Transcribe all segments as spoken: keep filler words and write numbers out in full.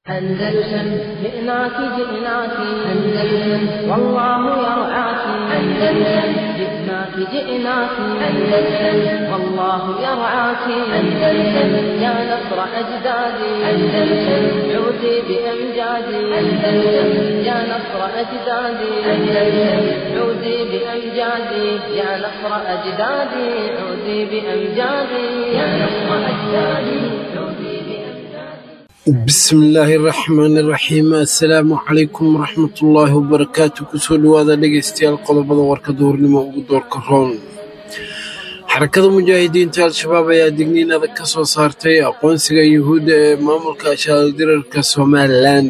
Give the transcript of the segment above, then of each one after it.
أندلسن جئناك جئناك أندلسن والله يرعاك أندلسن جئناك جئناك أندلسن والله يرعاك أندلسن يا نصر أجدادي أندلسن عودي بأمجادي أندلسن يا نصر أجدادي أندلسن عودي بأمجادي يا نصر أجدادي عودي بأمجادي يا نصر أجدادي عودي. Bismillaahi raxmaani raxiim. Assalaamu calaykum waraxmatullaahi wabarakaatu. Kusoo dhawaada dhegeystayaal qodobada warka duhurnimo ugu doorka roon. Xarakada mujaahidiinta Al-Shabaab ayaa digniin adag ka soo saartay aqoonsiga Yuhuudda ee maamulka shaaldirarka Somalilan.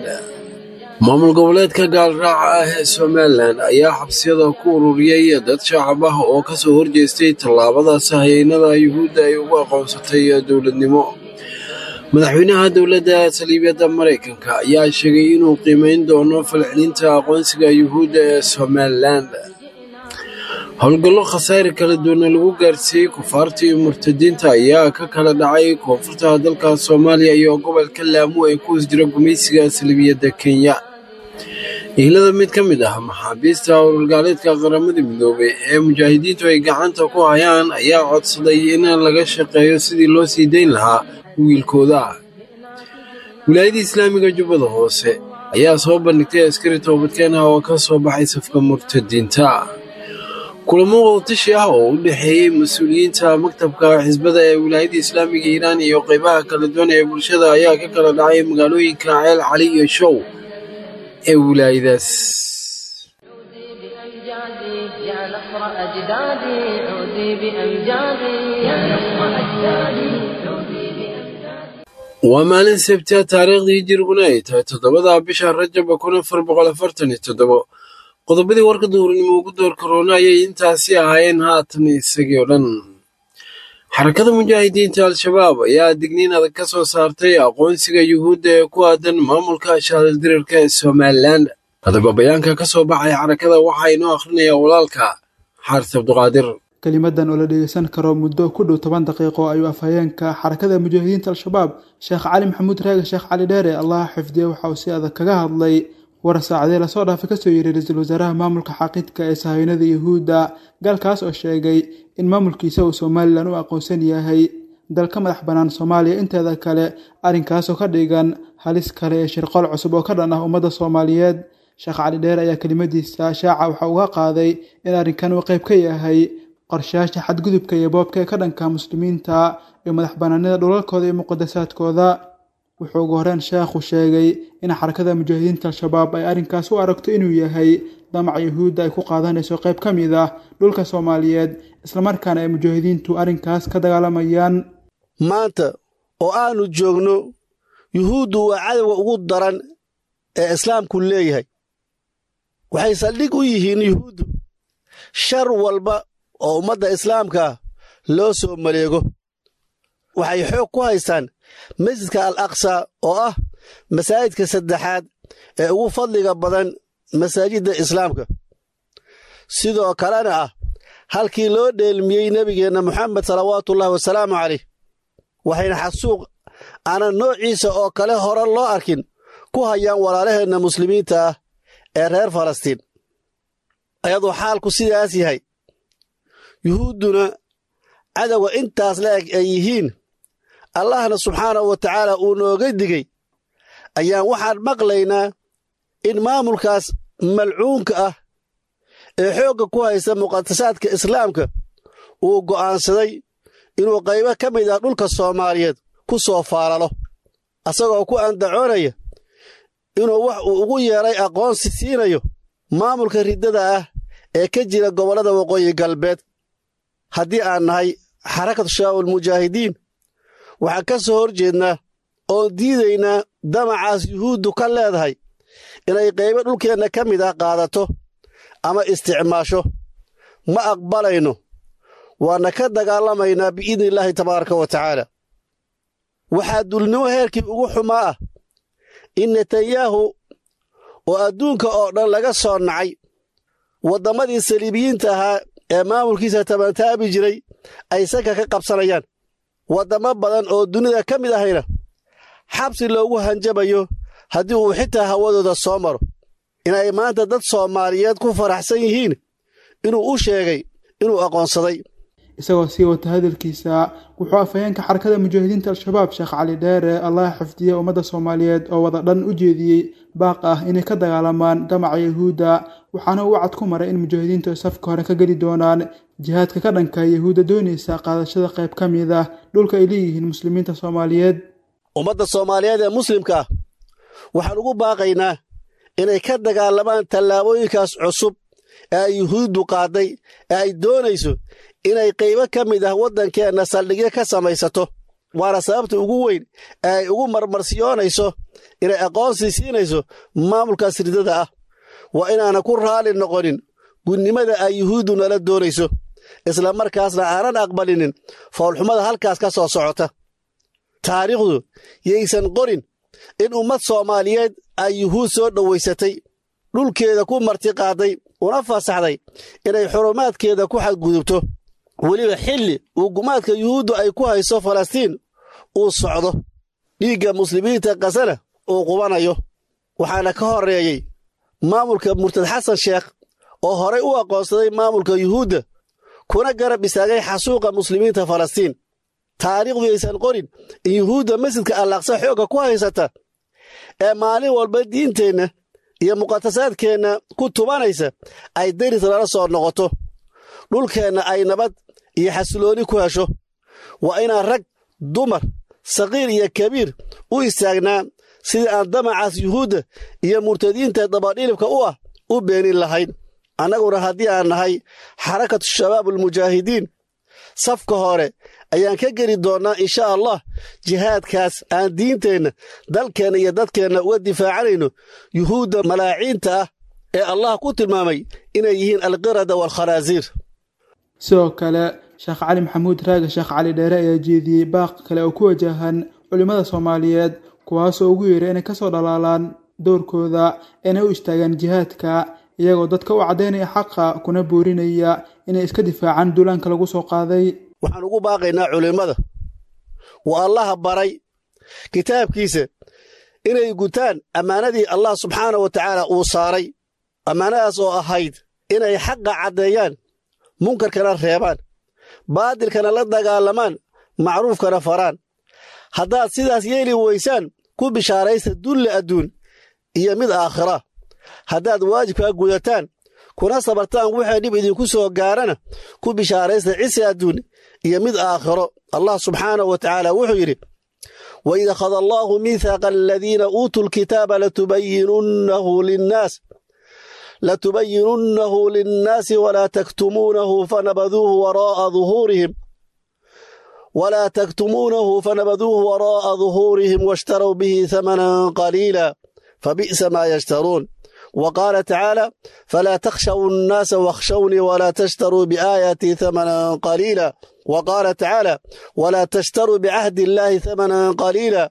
Maamul goboleedka gaalraaca ah ee Somalilan ayaa xabsiyada ku ururiyey dad shacab ah oo kasoo horjeestay tallaabadaas hayeynada Yuhuudda ay ugu aqoonsatay dowladnimo. Madaxweynaha dowladda saliibiyadda Maraykanka ayaa sheegay inuu qiimeyn doono falcelinta aqoonsiga Yuhuudda ee Somalilan. Howlgallo khasaare kala duwana lagu gaarsiiyey kufaarta iyo murtadiinta ayaa ka kala dhacay koonfurta dalka Soomaaliya iyo gobolka Laamu ee ku hoos jira gumaysiga saliibiyadda Kenya. Ehlada mid ka mid ah maxaabiista howlgaaleedka Qaramada Midoobay ee mujaahidiintu ay gacanta ku hayaan ayaa codsaday in laga shaqeeyo sidii loo sii dayn lahaa wiilkooda. Wilaayada Islaamiga Jubbada Hoose ayaa soo bandhigtay askari toobadkeen ah oo ka soo baxay safka murtadiinta. Kulamo wadatashi ah oo u dhexeeyey mas-uuliyiinta maktabka xisbada ee Wilaayada Islaamiga Hiiraan iyo qeybaha kala duwan ee bulshada ayaa ka kala dhacay magaalooyinka Ceel Cali iyo Show ee wilaayadaas. عودي بأمجادي يا نصر أجدادي عودي بأمجادي يا نصر أجدادي عودي بأمجادي. Waa maalin Sabti ah, taariikhdii hijiriguna ay tahay toddobada bisha Rajab kun afar boqol afartan iyo toddobo. Qodobadii warka duhurnimo ugu door karoona ayay intaasi ahaayeen, haatan isagii oo dhan. Xarakada mujaahidiinta Al-Shabaab ayaa digniin adag ka soo saartay aqoonsiga Yuhuudda ee ku aadan maamulka shaaldirarka ee Somalilan. Haddaba bayaanka ka soo baxay xarakada waxaa inoo akhrinayaa walaalka Xaaris Cabduqaadir. Kelimadan oo la dhegeysan karo muddo ku dhow toban daqiiqo ayuu afhayeenka xarakada mujaahidiinta Al-Shabaab Sheekh Cali Maxamuud Raage Sheekh Cali Dheere Allah xifdiye waxa uu si adag kaga hadlay war saacadee lasoo dhaafay kasoo yeeray ra-iisul wasaaraha maamulka xaqiidka ee sahaynada Yuhuudda, gaalkaas oo sheegay in maamulkiisa uu Somalilan u aqoonsan yahay dal ka madax bannaan Soomaaliya inteeda kale, arrinkaasoo ka dhigan halis kale ee shirqool cusub oo ka dhan ah ummadda Soomaaliyeed. Sheekh Cali Dheere ayaa kelimadiisa shaaca waxa uga qaaday in arrinkan uu qayb ka yahay qorshayaasha xadgudubka iyo boobka ee ka dhanka muslimiinta iyo madax bannaanida dhulalkooda iyo muqadasaadkooda. Wuxuu ugu horreyn sheekhu sheegay in xarakada mujaahidiinta Al-Shabaab ay arrinkaas u aragto inuu yahay damaca Yuhuudda ay ku qaadanayso qayb ka mid ah dhulka Soomaaliyeed, islamarkaana ay mujaahidiintu arrinkaas ka dagaalamayaan. Maanta oo aanu joogno, Yuhuuddu waa cadowga ugu daran ee islaamku leeyahay. Waxay saldhig u yihiin Yuhuuddu shar walba oo ummadda islaamka loo soo maleego. Waxay xoog ku haystaan masjidka Al Aqsa oo ah masaajidka saddexaad ee ugu fadliga badan masaajidda islaamka, sidoo kalena ah halkii loo dheelmiyey nebigeenna Moxamed salawaatuullahi wasalaamu caleyh. Waxayna xasuuq aanan noociisa oo kale hore loo arkin ku hayaan walaalaheenna muslimiinta ah ee reer Falastiin. Ayadoo xaalku sidaas yahay, Yuhuudduna cadowga intaas la eg ay yihiin, Allahna subxaanahu wa tacaala uu nooga digey, ayaan waxaan maqlaynaa in maamulkaas malcuunka ah ee xoogga ku haysta muqadasaadka islaamka uu go'aansaday inuu qaybo ka mid ah dhulka Soomaaliyeed ku soo faalalo, asagoo ku andacoonaya inuu wax uu ugu yeedhay aqoonsi siinayo maamulka riddada ah ee ka jira gobollada waqooyi galbeed. Haddii aan nahay Xarakatu Shabaabulmujaahidiin, waxaan ka soo hor jeednaa oon diidaynaa damacaas Yuhuuddu ka leedahay inay qaybo dhulkeenna ka mid ah qaadato ama isticmaasho. Ma aqbalayno, waana ka dagaalamaynaa biidnillaahi tabaaraka wa tacaala. Waxaa dulnimo heerkii ugu xumaa ah in Netanyahu oo adduunka oo dhan laga soo nacay, wadammadii saliibiyiinta ahaa ee maamulkiisa tabantaabi jiray ay sanka ka qabsanayaan, waddammo badan oo dunida ka mid ahayna xabsi loogu hanjabayo Haddii uu xitaa hawadooda soo maro, inay maanta dad Soomaaliyeed ku faraxsan yihiin inuu u sheegay inuu aqoonsaday. Isagoo sii wata hadalkiisa, wuxuu afhayeenka Xarakada Mujaahidiinta Al-Shabaab Sheekh Cali Dheere, Allah xifdiye, ummadda Soomaaliyeed oo wada dhan u jeediyey baaq ah inay ka dagaalamaan damaca Yahuudda, waxaana uu cad ku maray in mujaahidiintu ay safka hore ka geli doonaan jihaadka ka dhanka Yahuudda doonaysa qaadashada qayb ka mid ah dhulka ay leeyihiin muslimiinta Soomaaliyeed. Ummadda Soomaaliyeed ee muslimka ah waxaan ugu baaqaynaa inay ka dagaalamaan tallaabooyinkaas cusub ee ay Yuhuuddu qaaday ee ay doonayso inay qaybo ka mid ah waddankeenna saldhigyo ka samaysato, waana sababta ugu weyn ee ay ugu marmarsiyoonayso inay aqoonsi siinayso maamulkaas ridada ah. Waa inaanan ku raalli noqonin gudnimada ay Yuhuuddu nala doonayso, isla markaasna aanan aqbalinin foolxumada halkaas ka soo socota. Taariikhdu yaysan qorin in ummad Soomaaliyeed ay Yuhuud soo dhowaysatay, dhulkeeda ku martiqaaday, una fasaxday inay xurumaadkeeda ku xadgudubto, weliba xilli uu gumaadka Yuhuuddu ay ku hayso Falastiin uu socdo, dhiigga muslimiinta Qasana uu qubanayo. Waxaana ka horreeyey maamulka murtad Xasan Sheekh oo horay u aqoonsaday maamulka Yuhuudda kuna garab istaagay xasuuqa muslimiinta Falastiin. Taariikhdu yaysan qorin in Yuhuudda masjidka Allaaqsa xoogga ku haysata ee maalin walba diinteenna iyo muqadasaadkeenna ku tubanaysa ay deris lala soo noqoto, dhulkeenna ay nabad iyo xasilooni ku hesho. Waa inaan rag, dumar, saqiir iyo kabiir u istaagnaa sidii aan damacaas Yuhuudda iyo murtadiinta dabadhilibka u ah u beenin lahayn. Annaguna haddii aan nahay Xarakatu Shabaab Almujaahidiin, safka hore ayaan ka geli doonnaa insha Allah jihaadkaas aan diinteenna, dalkeenna iyo dadkeenna uga difaacanayno Yuhuudda malaaciinta ah ee Allah ku tilmaamay inay yihiin alqirada waalkhanaasiir. Sidoo kale, Sheekh Cali Maxamuud Raage Sheekh Cali Dheere ayaa jeediyey baaq kale oo ku wajahan culimmada Soomaaliyeed, kuwaasoo ugu yeeray inay kasoo dhalaalaan doorkooda, inay u istaagaan jihaadka, iyagoo dadka u caddaynaya xaqa kuna boorinaya inay iska difaacaan duulaanka lagu soo qaaday. Waxaan ugu baaqaynaa culimmada uu Allaha baray kitaabkiisa inay gutaan ammaanadii Allah subxaana wa tacaala uu saaray, ammaanadaas oo ahayd inay xaqa caddeeyaan, munkarkana reebaan, baadilkana la dagaalamaan, macruufkana faraan. Haddaad sidaas yeeli weysaan, ku bishaaraysta dulle adduun iyo mid aakhira. Haddaad waajibkaa gudataan kuna sabartaan wixii dhib idinku soo gaarana, ku bishaaraysta cisi adduun iyo mid aakhiro. Allah subxaanahu wa tacaala wuxuu yidhi: Waid akhada allaahu miithaaqa aladiina uutuu lkitaaba latubayinunnahu linnaas latubayinunnahu linnaasi walaa taktumuunahu fanabaduuhu waraa'a duhuurihim walaa taktumuunahu fanabaduuhu waraa'a duhuurihim washtarow bihi hamanan qaliila fabi'sa maa yashtaruun. Wa qaala tacaala: falaa takhshaw nnaasa wakhshawnii walaa tashtaruu biaayaatii hamanan qaliila. Wa qaala tacaala: walaa tashtaruu bicahdi illaahi hamanan qaliila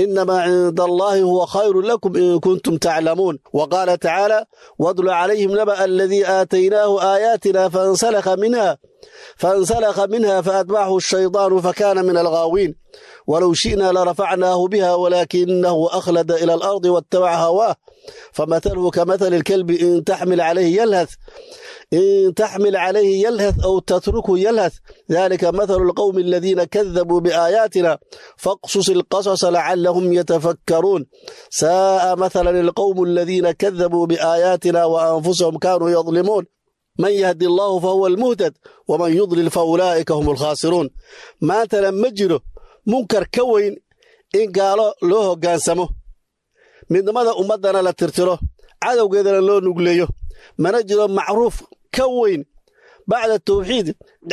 inamaa cinda allaahi huwa khayrun lakum in kuntum taclamuun. Wa qaala tacaala: waatlu calayhim naba'a aladii aataynaahu aayaatina fainsalakha minha fainsalakha minha faatbacahu ashaydaanu fakana min alghaawiin. Walow shi'naa larafacnaahu biha walaakinahu akhlada ila alardi wattabaca hawaah famathaluhu kamathali alkalbi in taxmil calayhi yalhath in taxmil calayhi yalhath aw tatrukhu yalhath dalika mathalu alqawmi aladiina kadabuu biaayaatina faqsus alqasasa lacallahum yatafakkaruun. Saa'a mathalan alqawmu aladiina kadabuu biaayaatina wa anfusahum kaanuu yadlimuun. Man yahdi allaahu fahuwa almuhtad waman yudlil faulaa'ika hum alkhaasiruun. Maantana ma jiro munkar ka weyn in gaalo loo hoggaansamo, midnimada ummaddana la tirtiro, cadowgeedana loo nugleeyo. Mana jiro macruuf ka weyn bacda tawxiid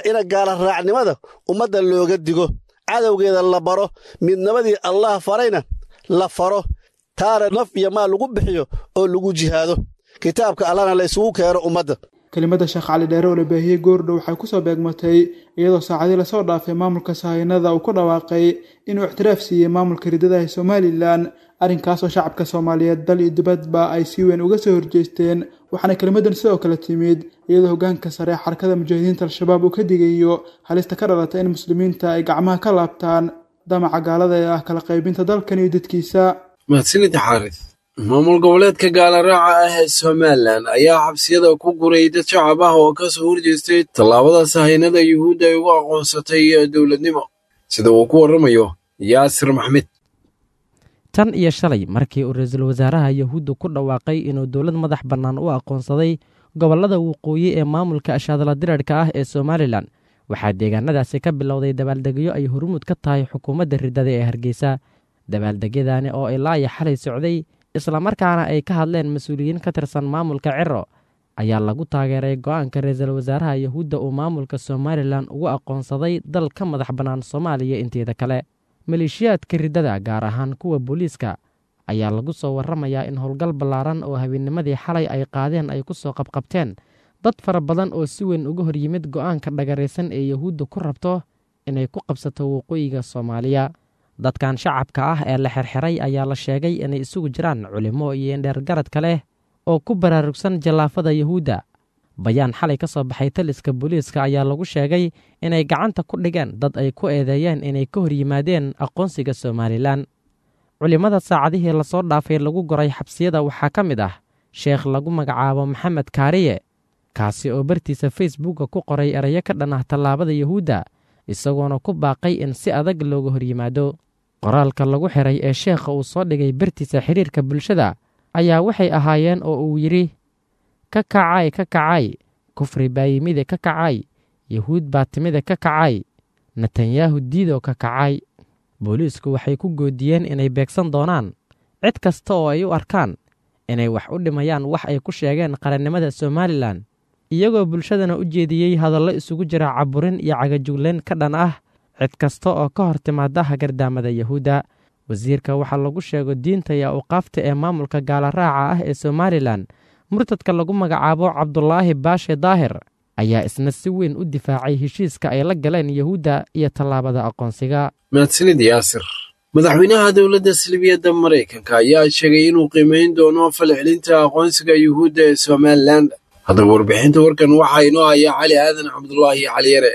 ina gaala raacnimada ummadda looga digo, cadowgeeda la baro, midnimadii Allah farayna la faro, taana naf iyo maal lagu bixiyo oo lagu jihaado, kitaabka Allahna la isugu keeno ummadda. Kelimada Sheekh Cali Dheere oo la baahiyey goordhow waxay kusoo beegmatay iyadoo saacadii lasoo dhaafay maamulka sahaynada uu ku dhawaaqay inuu ictiraaf siiyey maamulka ridada ee Somalilan, arrinkaas oo shacabka Soomaaliyeed dal iyo dibadba ay si weyn uga soo horjeesteen. Waxaana kelimadan sidoo kale timid iyadoo hoggaanka sare ee Xarakada Mujaahidiinta Al-Shabaab uu ka digayo halista ka dhalata in muslimiinta ay gacmaha ka laabtaan damaca gaalada ee ah kala qaybinta dalkan iyo dadkiisa. Mahadsanid Xaaris. Maamul goboleedka gaalaraaca ah ee Somalilan ayaa xabsiyada ku guray dad shacab ah oo ka soo horjeestay tallaabada sahaynada Yuhuudda ay ugu aqoonsatay dowladnimo, sida uu ku warramayo Yaasir Maxmed. Tan iyo shalay markii uu ra-iisul wasaaraha Yahuudda ku dhawaaqay inuu dowlad madax bannaan u aqoonsaday gobollada waqooyi ee maamulka ashaadala dirarhka ah ee Somalilan, waxaa deegaanadaasi ka bilowday dabaaldegyo ay hormuud ka tahay xukuumadda riddada ee Hargeysa. Dabaaldegyadaani oo ilaa iyo xalay socday, islamarkaana ay ka hadleen mas-uuliyiin ka tirsan maamulka Ciro, ayaa lagu taageeray go'aanka ra-iisul wasaaraha Yahuudda uu maamulka Somalilan ugu aqoonsaday dal ka madax bannaan Soomaaliya inteeda kale. Maleeshiyaadka riddada, gaar ahaan kuwa booliiska, ayaa lagu soo warramayaa in howlgal ballaaran oo habeenimadii xalay ay qaadeen ay ku soo qabqabteen dad fara badan oo si weyn uga hor yimid go'aanka dhagaraysan ee Yahuudda ku rabto inay ku qabsato waqooyiga Soomaaliya. Dadkan shacabka ah ee la xirxiray ayaa la sheegay inay isugu jiraan culimo iyo indheergaradka leh oo ku baraarugsan jallaafada Yahuudda. Bayaan xalay ka soo baxay taliska booliiska ayaa lagu sheegay inay gacanta ku dhigeen dad ay ku eedeeyeen inay ka hor yimaadeen aqoonsiga Somalilan. Culimmada saacadihii lasoo dhaafay lagu goray xabsiyada waxaa ka mid ah sheekh lagu magacaabo Maxamed Kaariye, kaasi oo bartiisa Facebooka ku qoray erayo ka dhan ah tallaabada Yahuudda, isagoona ku baaqay in si adag looga hor yimaado. Qoraalka lagu xiray ee sheekha uu soo dhigay bartiisa xiriirka bulshada ayaa waxay ahaayeen oo uu yidhi: ka kacay, ka kacay, kufri baa yimide ka kacay, Yahuud baa timide ka kacay, Netanyahu diidoo ka kacay. Booliisku waxay ku goodiyeen inay beegsan doonaan cid kasta oo ay u arkaan inay wax u dhimayaan wax ay ku sheegeen qarannimada Somalilan, iyagoo bulshadana u jeediyey hadallo isugu jira caburin iyo cagajuglayn ka dhan ah cid kasta oo ka hor timaada hagardaamada Yahuudda. Wasiirka waxaa lagu sheego diinta iyo awqaafta ee maamulka gaalaraaca ah ee Somalilan, murtadka lagu magacaabo Cabdulaahi Baashe Daahir, ayaa isna si weyn u difaacay heshiiska ay la galeen Yahuudda iyo tallaabada aqoonsiga. Mahadsanid Yaasir. Madaxweynaha dowladda Salbiyadda Maraykanka ayaa sheegay inuu qiimeyn doono falcelinta aqoonsiga Yuhuudda ee Somalilan. Haddaba warbixinta warkan waxaa inoo haya Cali Aadan Cabdulaahi Cali Yare.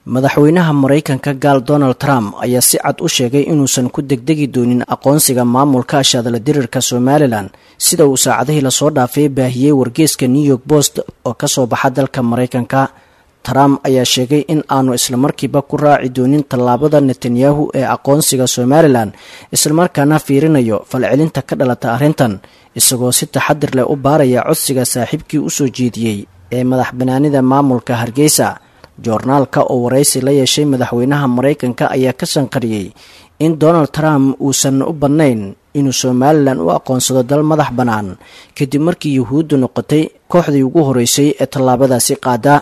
Madaxweynaha Maraykanka gaal Donald Trump ayaa si cad u sheegay inuusan ku degdegi doonin aqoonsiga maamulka ashaadala dirirka Somalilan, sida uu saacadihii lasoo dhaafay baahiyey wargeyska New York Post oo kasoo baxa dalka Maraykanka. Trump ayaa sheegay in aanu islamarkiiba ku raaci doonin tallaabada Netanyahu ee aqoonsiga Somalilan, islamarkaana fiirinayo falcelinta ka dhalata arrintan, isagoo si taxadir leh u baaraya codsiga saaxiibkii usoo jeediyey ee madax banaanida maamulka Hargeysa. Joornaalka oo waraysi la yeeshay madaxweynaha Maraykanka ayaa ka sanqariyey in Donald Trump uusan u badnayn inuu Somalilan u aqoonsado dal madax bannaan, kadib markii Yuhuuddu noqotay kooxdii ugu horeysay ee tallaabadaasi qaada.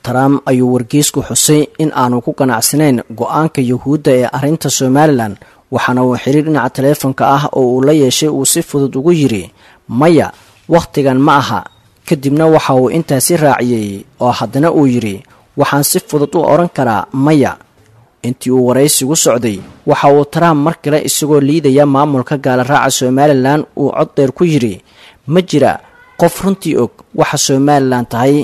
Trump ayuu wargeysku xusay in aanu ku qanacsanayn go-aanka Yuhuudda ee arrinta Somalilan, waxaana uu xiriir dhinaca taleefonka ah oo uu la yeeshay uu si fudud ugu yidhi maya, wakhtigan ma aha. Kadibna waxa uu intaasi raaciyey oo haddana uu yidhi waxaan si fudud u odhan karaa maya. Intii uu waraysigu socday waxa uu Trump mar kale isagoo liidaya maamulka gaalaraaca Somalilan uu cod dheer ku yidhi ma jira qof runtii og waxa Somalilan tahay.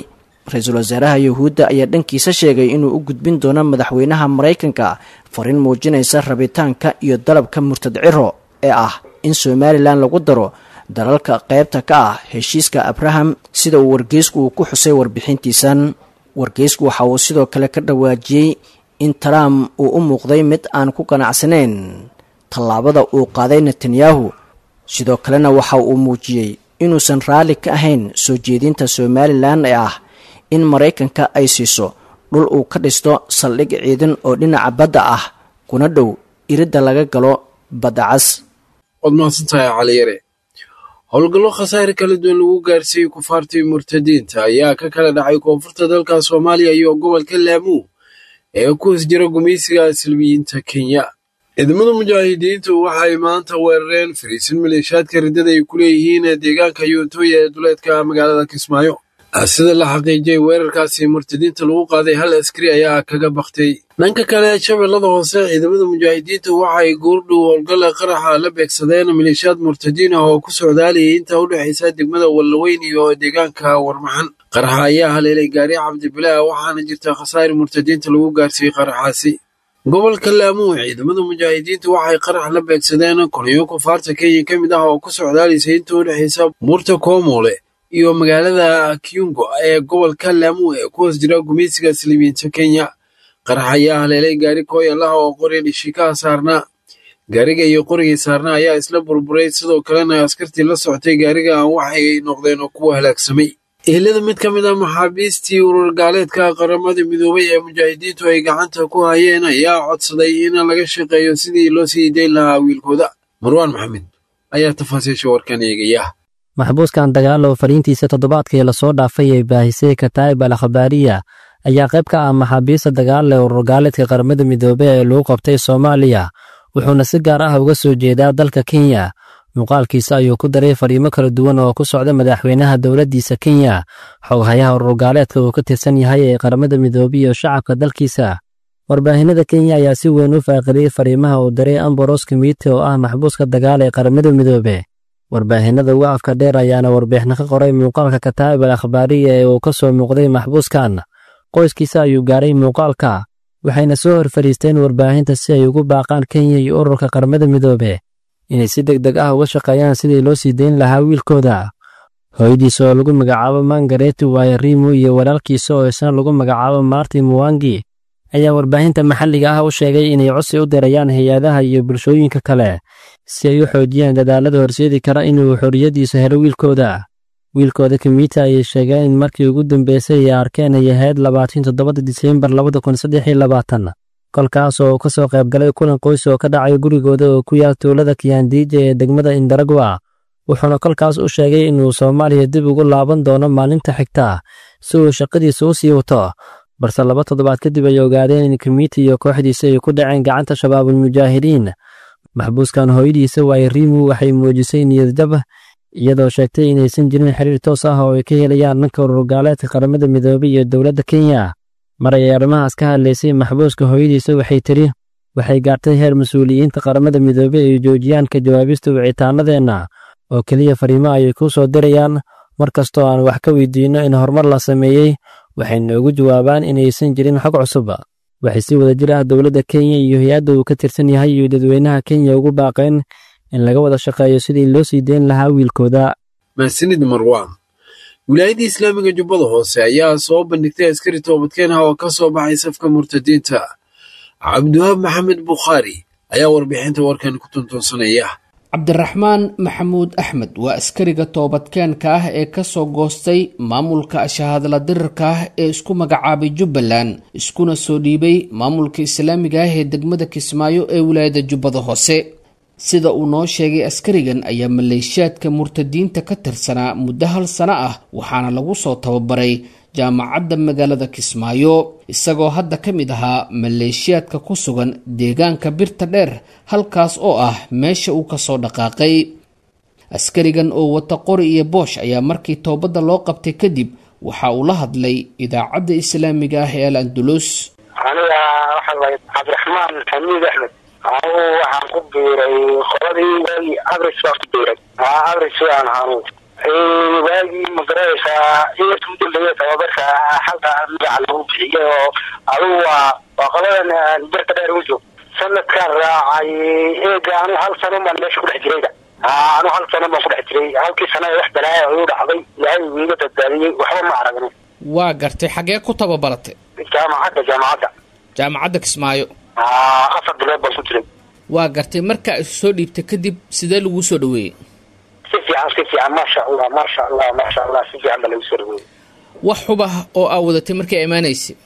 Ra-iisul wasaaraha Yuhuudda ayaa dhankiisa sheegay inuu u gudbin doono madaxweynaha Maraykanka fariin muujinaysa rabitaanka iyo dalabka murtad Ciro ee ah in Somalilan lagu daro dalalka qaybta ka ah heshiiska Abraham, sida uu wargeysku uu ku xusay warbixintiisan. Wargeysku waxa uu sidoo kale ka dhawaajiyey in Trump uu u muuqday mid aan ku qanacsanayn tallaabada uu qaaday Netanyahu, sidoo kalena waxa uu muujiyey inuusan raalli ka ahayn soo jeedinta Somalilan ee ah in Maraykanka ay siiso dhul uu ka dhisto saldhig ciidan oo dhinaca badda ah kuna dhow iridda laga galo badda cas. Waad mahadsantahay Cali Yare. Howlgallo khasaare kala duwan lagu gaarsiiyey kufaartii murtadiinta ayaa ka kala dhacay koonfurta dalka Soomaaliya iyo gobolka Laamuu ee ku hoos jira gumaysiga Salbiyiinta Kenya. Ciidamada mujaahidiintu waxay maanta weerareen fariisin maleeshiyaadka riddada ay ku leeyihiin deegaanka Yuuntooya ee duleedka magaalada Kismaayo. Sida la xaqiijiyey weerarkaasi murtadiinta lagu qaaday hal askari ayaa kaga baktay. Dhanka kale, shabeellada hoose ciidamada mujaahidiinta waxay goordhow howlgalla qaraxa la beegsadeen maleeshiyaad murtadiin ah oo ku socdaalayay inta u dhexaysa degmada Wallaweyn iyo deegaanka Warmaxan. Qaraxa ayaa haleelay gaari Cabdibilaah, waxaana jirta khasaare murtadiinta lagu gaarsiiyey qaraxaasi. Gobolka Laamo, ciidamada mujaahidiinta waxay qarax la beegsadeen kolonyo kufaarta Kenya ka mid ah oo ku socdaalaysay inta u dhexaysa buurta Koomole iyo magaalada Kiungo ee gobolka Laamo ee ku hoos jira gumaysiga Silibiinta Kenya. Qarax ayaa haleelay gaari kooyal ah oo qori dhishikaha saarnaa. Gaariga iyo qorigii saarnaa ayaa isla burburay, sidoo kalena askartii la socotay gaariga waxay noqdeen kuwa halaagsamay. Ehelada mid ka mid ah maxaabiistii urur gaaleedka Qaramada Midoobay ee mujaahidiintu ay gacanta ku hayeen ayaa codsaday in laga shaqeeyo sidii loo sii dayn lahaa wiilkooda. Marwaan Maxamed ayaa tafaasiisha warkan eegaya. Maxbuuskan dagaal oo fariintiisa toddobaadkii lasoo dhaafay ay baahisay Kataa'ib al Akhbaariya ayaa qayb ka ah maxaabiista dagaal ee urur gaaleedka Qaramada Midoobay ee lagu qabtay Soomaaliya, wuxuuna si gaar ah uga soo jeedaa dalka Kenya. Muuqaalkiisa ayuu ku daray fariimo kala duwan oo ku socda madaxweynaha dowladdiisa Kenya, xoghayaha urur gaaleedka uu ka tirsan yahay ee Qaramada Midoobay iyo shacabka dalkiisa. Warbaahinada Kenya ayaa si weyn u faaqiriyey fariimaha uu diray Ambrose Kimite oo ah maxbuuska dagaal ee Qaramada Midoobay. Warbaahinada ugu afka dheer ayaana warbixin ka qoray muuqaalka Kataa'ib al Akhbaariya ee uu ka soo muuqday maxbuuskan. Qoyskiisa ayuu gaaray muuqaalka, waxayna soo hor fadhiisteen warbaahinta si ay ugu baaqaan Kenya iyo ururka Qaramada Midoobay inay si deg deg ah uga shaqeeyaan sidii loo sii dayn lahaa wiilkooda. Hooyadiisa oo lagu magacaabo Mangareti Wairimu iyo walaalkiisa oo isna lagu magacaabo Martin Mwangi ayaa warbaahinta maxalliga ah u sheegay inay codsi u dirayaan hay-adaha iyo bulshooyinka kale si ay u xoojiyaan dadaallada horseedi kara inuu xorriyaddiisa helo wiilkooda. Wiilkooda Kimita ayay sheegeen in markii ugu dambeysay ay arkeen ay ahayd labaatan toddobada Diseembar labada kun saddex iyo labaatan, kolkaas oo ka soo qaybgalay kulan qoys oo ka dhacay gurigooda oo ku yaal tuulada Kiandiija ee degmada Indaragwa. Wuxuuna kolkaas u sheegay inuu Soomaaliya dib ugu laaban doono maalinta xigta si uu shaqadiisa u sii wato, balse laba toddobaad kadib ay ogaadeen in Kimita iyo kooxdiisa ay ku dhaceen gacanta Shabaabul Mujaahidiin. Maxbuuskan hooyadiisa Wairimu waxay muujisay niyad jab, iyadoo sheegtay inaysan jirin xiriir toos ah oo ay ka helayaan dhanka urur gaaleedka Qaramada Midoobay iyo dowladda Kenya. Mar ay arrimahaas ka hadlaysay maxbuuska hooyadiisa waxay tidhi, waxay gaartay heer mas-uuliyiinta Qaramada Midoobay ay joojiyaan ka jawaabista wicitaanadeenna oo keliya fariimo ayay ku soo dirayaan. Mar kastoo aan wax ka weydiinno in horumar la sameeyey, waxay noogu jawaabaan inaysan jirin xog cusub. Waxay si wadajir ah dowladda Kenya iyo hay-adda uu ka tirsan yahay iyo dadweynaha Kenya ugu baaqeen in laga wada shaqeeyo sidii loo sii dayn lahaa wiilkooda. Mahadsanid Marwaan. Wilaayadda Islaamiga Jubbada Hoose ayaa soo bandhigtay askari toobadkeen ah oo ka soo baxay safka murtadiinta. Cabdiwahaab Maxamed Bukhaari ayaa warbixinta warkan ku tuntuunsanaya. Cabdiraxmaan Maxamuud Axmed waa askariga toobadkeenka ah ee ka soo goostay maamulka shahaadla dirirka ah ee isku magacaabay Jubbaland, iskuna soo dhiibay maamulka islaamiga ah ee degmada Kismaayo ee wilaayada Jubbada Hoose. Sida uu noo sheegay askarigan ayaa maleeshiyaadka murtadiinta ka tirsanaa muddo hal sano ah, waxaana lagu soo tababaray jaamacadda magaalada Kismaayo, isagoo hadda ka mid ahaa maleeshiyaadka ku sugan deegaanka Birta Dheer, halkaas oo ah meesha uu kasoo dhaqaaqay. Askarigan oo wata qori iyo boosh ayaa markii toobadda loo qabtay kadib waxa uu la hadlay idaacadda islaamiga ah ee Al Andalus. Aniga waxaa la Cabdiraxmaan Xamiid Axmed. Anigu waxaan ku biiray qoladii waagii abris baan ku biiray. Abris waan aanu waagii magaraysaa inta u dambeeya tababarka halka magaca lagu bixiyay oo adigu waa waa qoladan Birta Dheer ugu joog. Sanadkaan raacay eega anu hal sano baan meesha ku dhex jirayda. Anu hal sano baan ku dhex jiray, halkii sano ee wax balaaya igu dhacday Ilaahay iiga badbaadiyey, waxba ma aragno. Waa gartay, xagee ku tababaratay? Jaamacadda jaamacadda Jaamacadda Kismaayo. Afar bilood baan ku jiray. Waa gartay, markaa isu soo dhiibtay kadib sidee laguu soo dhaweeyey? Si fiican, si fiican, maasha Allah, maasha Allah, maasha Allah, si fiican baa lagu soo dhaweeyey. Wax xubah oo aa wadatay markii imaanaysay?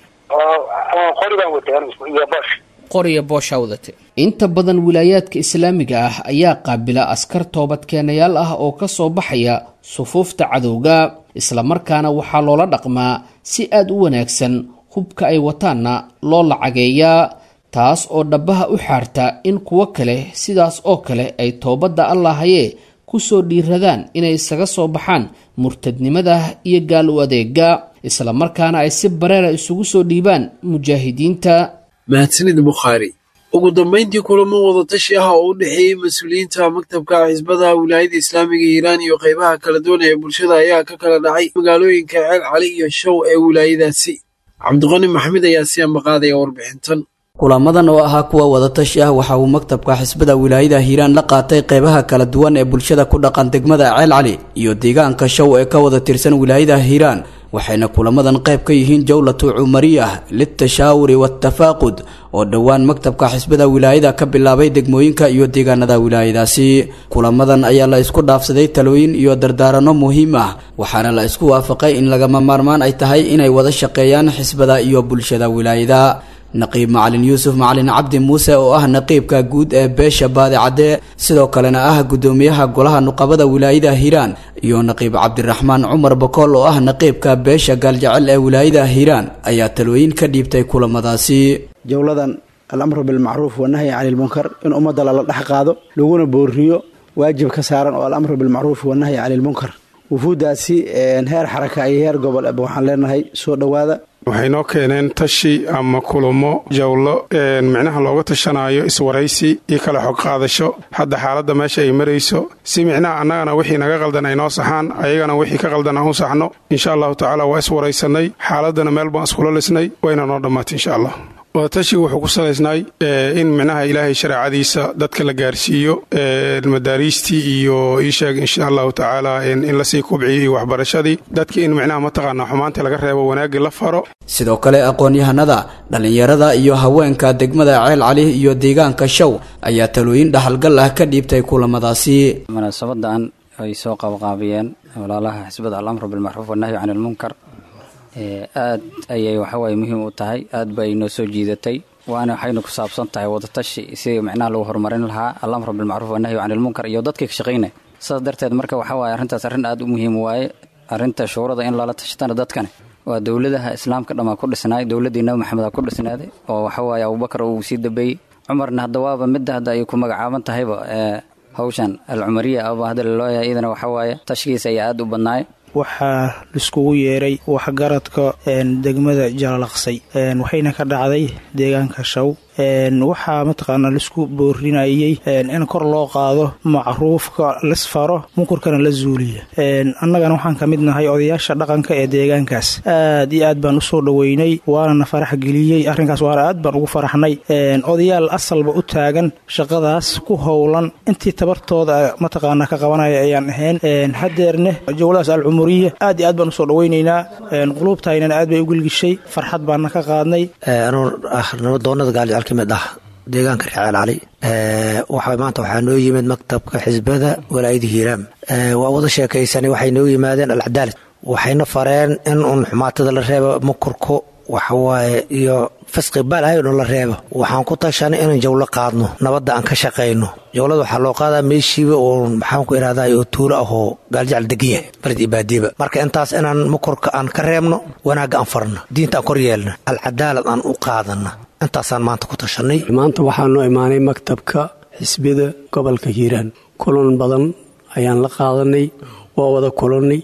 Qori baan watay anigu iyo boosh. Qoriya booshaa wadatay. Inta badan wilaayaadka islaamiga ah ayaa qaabila askar toobadkeenayaal ah oo ka soo baxaya sufuufta cadowga, islamarkaana waxaa loola dhaqmaa si aada u wanaagsan, hubka ay wataanna loo lacageeyaa, taas oo dhabbaha u xaarta in kuwo kale sidaas oo kale ay toobadda Allahayee ku soo dhiiradaan inay isaga soo baxaan murtadnimada iyo gaal u adeega, islamarkaana ay si bareera isugu soo dhiibaan mujaahidiinta. Mahadsanid Bukhaari. Ugu dambayntii, kulamo wadatashi ah oo u dhexeeyey mas-uuliyiinta maktabka xisbada wilaayada islaamiga Hiiraan iyo qaybaha kala duwan ee bulshada ayaa ka kala dhacay magaalooyinka Ceel Cali iyo Show ee wilaayadaasi. Cabdiqani Maxamed ayaa si ambaqaadaya warbixintan. Kulamadan oo ahaa kuwa wadatashi ah waxa uu maktabka xisbada wilaayada Hiiraan la qaatay qeybaha kala duwan ee bulshada ku dhaqan degmada Ceel Cali iyo deegaanka Shaw ee ka wada tirsan wilaayada Hiiraan, waxayna kulamadan qayb ka yihiin jawlatu cumariyah litashaawuri wattafaaqud oo dhowaan maktabka xisbada wilaayada ka bilaabay degmooyinka iyo deegaanada wilaayadaasi. Kulamadan ayaa la isku dhaafsaday talooyin iyo dardaaranno muhiim ah, waxaana la isku waafaqay in lagama maarmaan ay tahay inay wada shaqeeyaan xisbada iyo bulshada wilaayada. Naqiib Macalin Yuusuf Macalin Cabdi Muuse oo ah naqiibka guud ee beesha Baadicadde, sidoo kalena ah gudoomiyaha golaha nuqabada wilaayada Hiiraan, iyo naqiib Cabdiraxmaan Cumar Bakool oo ah naqiibka beesha Gaaljecel ee wilaayada Hiiraan ayaa talooyin ka dhiibtay kulamadaasi. Jawladan al-amru bilmacruuf wanahyi cani lmunkar in ummadda lala dhex qaado laguna booriyo waajib ka saaran oo al-amru bilmacruuf wanahyi cani lmunkar. Wufuuddaasi heer xaraka iyo heer gobol waxaan leenahay soo dhowaada. Waxay noo keeneen tashi ama kulamo jawlo micnaha looga tashanayo iswaraysi iyo kala xog qaadasho hadda xaaladda meesha ay marayso, si micnaha annagana wixii naga qaldan ay noo saxaan, ayagana wixii ka qaldan aan u saxno. Insha allahu tacaala waa iswaraysanay, xaaladdana meel baan iskula lisnay, wayna noo dhammaatay insha allah. Wadatashiga wuxuu ku salaysnay in micnaha ilaahay shareecadiisa dadka la gaarsiiyo, madaariistii iyo iisheeg insha allahu tacaala in lasii kubciyo iyo waxbarashadii dadka, in micnaha mataqaanaa xumaanta laga reebo, wanaagii la faro. Sidoo kale aqoon-yahanada, dhallinyarada iyo haweenka degmada Ceel Cali iyo deegaanka Shaw ayaa talooyin dhaxalgal ah ka dhiibtay kulamadaasi. Munaasabadan ay soo qabqaabiyeen walaalaha xisbada al-amru bilmacruuf wanahyu cani lmunkar aad ayay waxawaaye muhiim u tahay, aad bay noo soo jiidatay, waana waxaynu ku saabsan tahay wadatashi sidii micnaha lagu horumarin lahaa al-amru bilmacruuf wanahyu cani lmunkar iyo dadkii ka shaqaynaya. Saas darteed marka waxaa waaye arrintaas arrin aad u muhiim waaye. Arrinta shuurada in lala tashatana dadkani waa dowladaha islaamka dhammaa ku dhisnaay, dowladdii Nabi Maxamed aa ku dhisnaaday oo waxawaaye Abubakar uu sii dambeeyey, Cumarna hadda waaba midda hadda ay ku magacaaban tahayba hawshan al-cumariya aba hadda lalooyahay, iyadana waxawaaye tashigiisa ayaa aad u badnaay. Waxaa laiskugu yeeray waxgaradka degmada Jalalaqsay, waxayna ka dhacday deegaanka Shaw. Waxaa mataqaanaa laisku boorinayay in kor loo qaado macruufka, lasfaro munkarkana la zuuliya. Annagana waxaan ka mid nahay odayaasha dhaqanka ee deegaankaas. Aad iyo aad baan usoo dhoweynay, waana na farax geliyey arrinkaas, waana aad baan ugu faraxnay. Odayaal asalba u taagan shaqadaas ku howlan intii tabartooda mataqaanaa ka qabanaya ayaan ahayn. Hadeerne jawladaas alcumuriya aad iyo aad baan usoo dhoweynaynaa, quluubtaynana aad bay u gilgishay, farxad baana ka qaadnay. Kamid ah deegaanka reer Ceel Cali, waxa maanta waxaa noo yimid maktabka xisbada walaayada Hiiraam. Waa wada sheekaysanay, waxay noo yimaadeen alcadaalad, waxayna fareen in uun xumaatada la reebo, mukurku waxawaaye iyo fisqi balaayo dhan la reebo. Waxaan ku tashanay inaan jawlo qaadno, nabadda aan ka shaqayno. Jawlada waxaa loo qaadaa meeshiiba oo maxaan ku ihahdaa oo tuulo ahoo Gaaljecel degan yahay, baled iyo baadiiba. Marka intaas inaan mukurka aan ka reebno, wanaagga aan farno, diinta aan kor yeelno, alcadaalad aan u qaadana, intaasaan maanta ku tashanay. Maanta waxaa noo imaanay maktabka xisbida gobolka Hiiraan. Kulan badan ayaan la qaadanay, waa wada kulannay,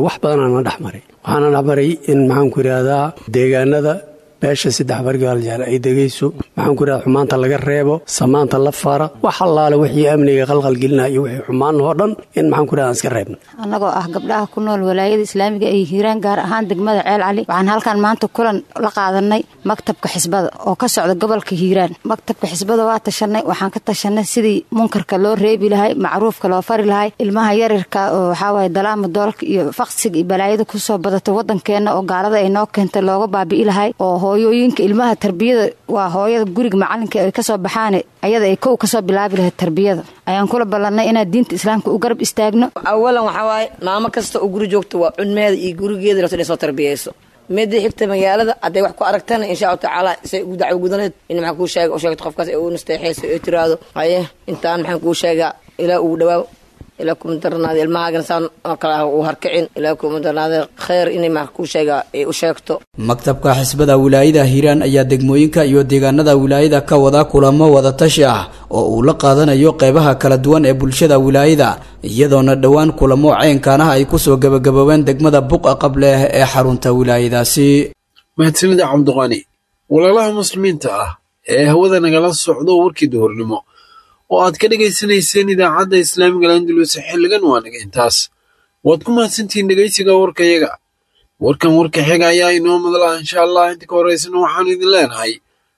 wax badanaa na dhexmaray. Waxaana dhexmaray in maxaanku idhaahdaa deegaanada beesha saddex bargaaljeel ay degayso, maxaanku idhahdaa xumaanta laga reebo, samaanta la fara, wax allaale wixii amniga qalqalgelinaya iyo wixii xumaan oo dhan in maxaanku idhahdaa aan iska reebno. Annagoo ah gabdhaha ku nool walaayada islaamiga ee Hiiraan, gaar ahaan degmada Ceel Cali, waxaan halkan maanta kulan la qaadanay maktabka xisbada oo ka socda gobolka Hiiraan. Maktabka xisbada waa tashanay, waxaan ka tashanay sidii munkarka loo reebi lahay, macruufka loo fari lahay, ilmaha yaryarka oo waxaa waaye dalaama doolka iyo faqsiga iyo balaayada kusoo badatay waddankeenna oo gaalada ay noo keentay looga baabi'i lahay, oo hooyooyinka ilmaha tarbiyada waa hooyada guriga macalinka ay kasoo baxaan ayada ay kow kasoo bilaabi lahayd tarbiyada. Ayaan kula ballanay inaan diinta islaamka u garab istaagno. Awalan waxaa waaye maamo kasta oo guri joogta waa cunmeeda iyo gurigeeda rabto inay soo tarbiyeyso. Midda xigta magaalada hadday wax ku aragtana insha allahu tacaala say ugu dacwo gudaneed in maxaan kuu sheega u sheegto qofkaas ay u nasteexeyso ee tiraahdo haye intaan maxaan kuu sheegaa ilaa ugu dhawaaw, ilaa kuma darnaada ilmahaagana saan oo kale ah uu harkicin, ilaa kuma darnaada khayr inay maxaan kuu sheegaa ay u sheegto. Maktabka xisbada wilaayada Hiiraan ayaa degmooyinka iyo deegaanada wilaayada ka wada kulamo wadatashi ah oo uu la qaadanayo qeybaha kala duwan ee bulshada wilaayada, iyadoona dhowaan kulamo ceynkaan ah ay kusoo gabagaboobeen degmada Buqa Qable ee xarunta wilaayadaasi. Mahadsanida Cabdiqani. Walaalaha muslimiinta ah ee hawada nagala socdo, warkii duhurnimo oo aad ka dhegaysanayseen idaacadda islaamiga Landulus xilligan waa naga intaas. Waad ku mahadsantihiin dhegaysiga warkayaga. Warkan warka xiga ayaa inoo madla insha allah. Inta ka horeysana waxaanu idin leenahay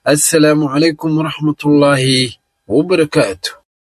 Assalaamu calaykum waraxmatullaahi wabarakaatu.